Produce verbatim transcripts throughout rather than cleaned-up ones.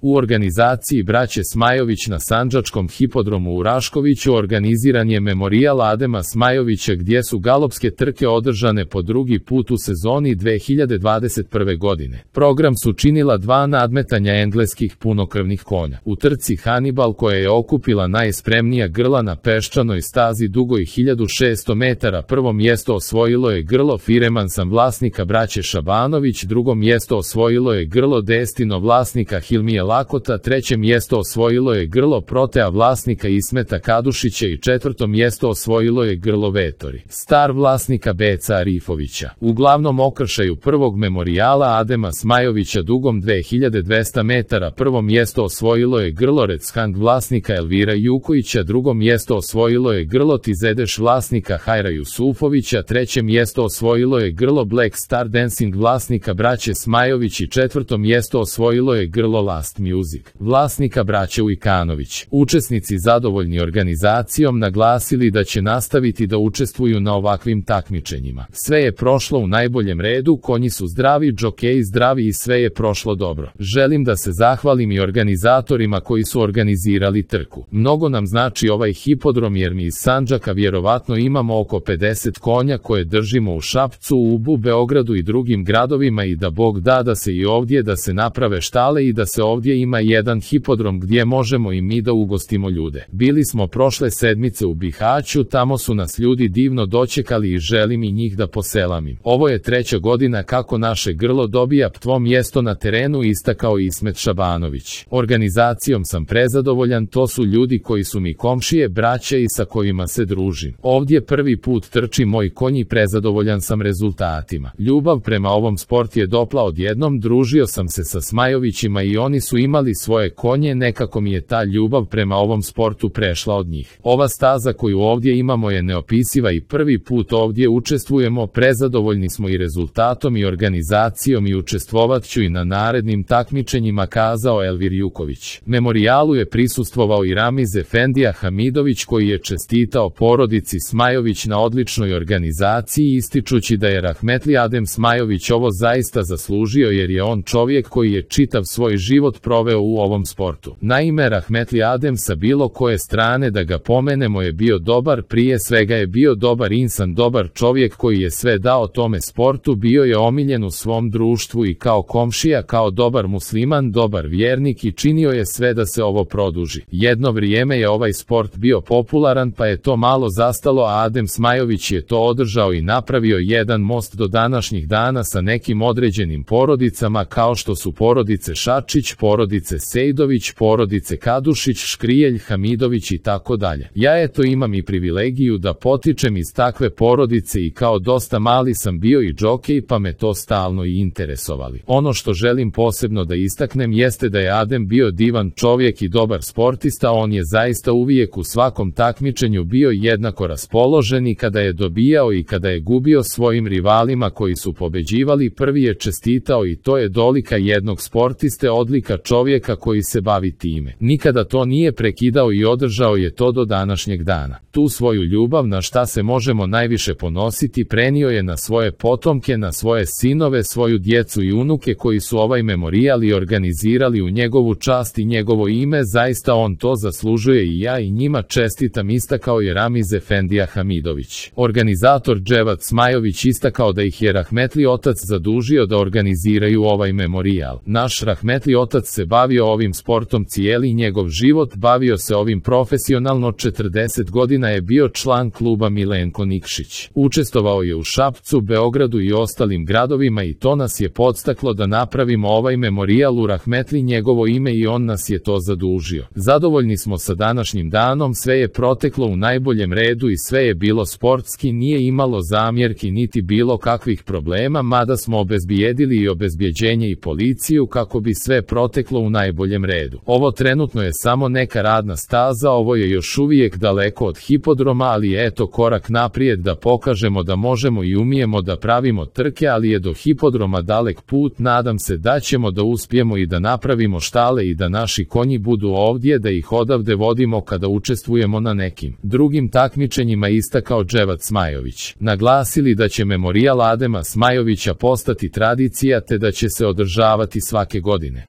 U organizaciji braće Smajović na Sandžačkom hipodromu u Raškoviću organiziran je memorijal Adema Smajovića gdje su galopske trke održane po drugi put u sezoni dve hiljade dvadeset prve. godine. Program su činila dva nadmetanja engleskih punokrvnih konja. U trci Hannibal koja je okupila najspremnija grla na peščanoj stazi dugoj hiljadu šesto metara prvo mjesto osvojilo je grlo Firemansan vlasnika braće Šabanović, drugo mjesto osvojilo je grlo Destino vlasnika Hilmije Lakota, treće mjesto osvojilo je grlo Protea vlasnika Ismeta Kadušića i četvrto mjesto osvojilo je grlo Vetori Star vlasnika Beca Arifovića. U glavnom okršaju prvog memorijala Adema Smajovića dugom dve hiljade dvesta metara prvo mjesto osvojilo je grlo Redskang vlasnika Elvira Jukovića, drugo mjesto osvojilo je grlo Tizedeš vlasnika Hajra Jusufovića, treće mjesto osvojilo je grlo Black Star Dancing vlasnika braće Smajović i četvrto mjesto osvojilo je grlo Last Music vlasnika braće Ujkanović. Učesnici zadovoljni organizacijom naglasili da će nastaviti da učestvuju na ovakvim takmičenjima. Sve je prošlo u najboljem redu, konji su zdravi, džokeji zdravi i sve je prošlo dobro. Želim da se zahvalim i organizatorima koji su organizirali trku. Mnogo nam znači ovaj hipodrom jer mi iz Sandžaka vjerovatno imamo oko pedeset konja koje držimo u Šapcu, Ubu, Beogradu i drugim gradovima i da Bog da da se i ovdje da se naprave štale i da se ovdje ima jedan hipodrom gdje možemo i mi da ugostimo ljude. Bili smo prošle sedmice u Bihaću, tamo su nas ljudi divno dočekali i želim i njih da poselamim. Ovo je treća godina kako naše grlo dobija prvo mjesto na terenu, istakao Ismet Šabanović. Organizacijom sam prezadovoljan, to su ljudi koji su mi komšije, braće i sa kojima se družim. Ovdje prvi put trči moj konj i prezadovoljan sam rezultatima. Ljubav prema ovom sport je dopla odjednom, družio sam se sa Smajovićima i oni su imali svoje konje, nekako mi je ta ljubav prema ovom sportu prešla od njih. Ova staza koju ovdje imamo je neopisiva i prvi put ovdje učestvujemo, prezadovoljni smo i rezultatom i organizacijom i učestvovat ću i na narednim takmičenjima, kazao Elvir Juković. Memorijalu je prisustvovao i Ramiz Efendija Hamidović koji je čestitao porodici Smajović na odličnoj organizaciji, ističući da je rahmetli Adem Smajović ovo zaista zaslužio jer je on čovjek koji je čitav svoj život proveo u ovom sportu. Naime, rahmetli Adem sa bilo koje strane da ga pomenemo je bio dobar, prije svega je bio dobar insan, dobar čovjek koji je sve dao tome sportu, bio je omiljen u svom društvu i kao komšija, kao dobar musliman, dobar vjernik i činio je sve da se ovo produži. Jedno vrijeme je ovaj sport bio popularan pa je to malo zastalo, a Adem Smajović je to održao i napravio jedan most do današnjih dana sa nekim određenim porodicama kao što su porodice Šačić, porodice Sejdović, porodice Kadušić, Škrijelj, Hamidović i tako dalje. Ja eto imam i privilegiju da potičem iz takve porodice i kao dosta mali sam bio i džokej pa me to stalno i interesovali. Ono što želim posebno da istaknem jeste da je Adem bio divan čovjek i dobar sportista, on je zaista uvijek u svakom takmičenju bio jednako raspoložen i kada je dobijao i kada je gubio svojim rivalima koji su pobeđivali, prvi je čestitao i to je dolika jednog sportiste, odlika čovjeka koji se bavi time. Nikada to nije prekidao i održao je to do današnjeg dana. Tu svoju ljubav na šta se možemo najviše ponositi prenio je na svoje potomke, na svoje sinove, svoju djecu i unuke koji su ovaj memorijal i organizirali u njegovu čast i njegovo ime, zaista on to zaslužuje i ja i njima čestitam, istakao je Ramiz Efendija Hamidović. Organizator Dževat Smajović istakao da ih je rahmetli otac zadužio da organiziraju ovaj memorijal. Naš rahmetli otac se bavio ovim sportom cijeli njegov život, bavio se ovim profesionalno, četrdeset godina je bio član kluba Milenko Nikšić. Učestvovao je u Šapcu, Beogradu i ostalim gradovima i to nas je podstaklo da napravimo ovaj memorijal u rahmetli njegovo ime i on nas je to zadužio. Zadovoljni smo sa današnjim danom, sve je proteklo u najboljem redu i sve je bilo sportski, nije imalo zamjerki niti bilo kakvih problema, mada smo obezbijedili i obezbjeđenje i policiju kako bi sve proteklo u najboljem redu. Ovo trenutno je samo neka radna staza, ovo je još uvijek daleko od hipodroma, ali eto korak naprijed da pokažemo da možemo i umijemo da pravimo trke, ali je do hipodroma dalek put, nadam se da ćemo da uspijemo i da napravimo štale i da naši konji budu ovdje, da ih odavde vodimo kada učestvujemo na nekim drugim takmičenjima, istakao Dževat Smajović. Naglasili da će memorijal Adema Smajovića postati tradicija te da će se održavati svake godine.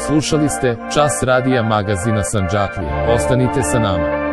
Slušali ste Čas radija magazina Sandžaklije. Ostanite sa nama.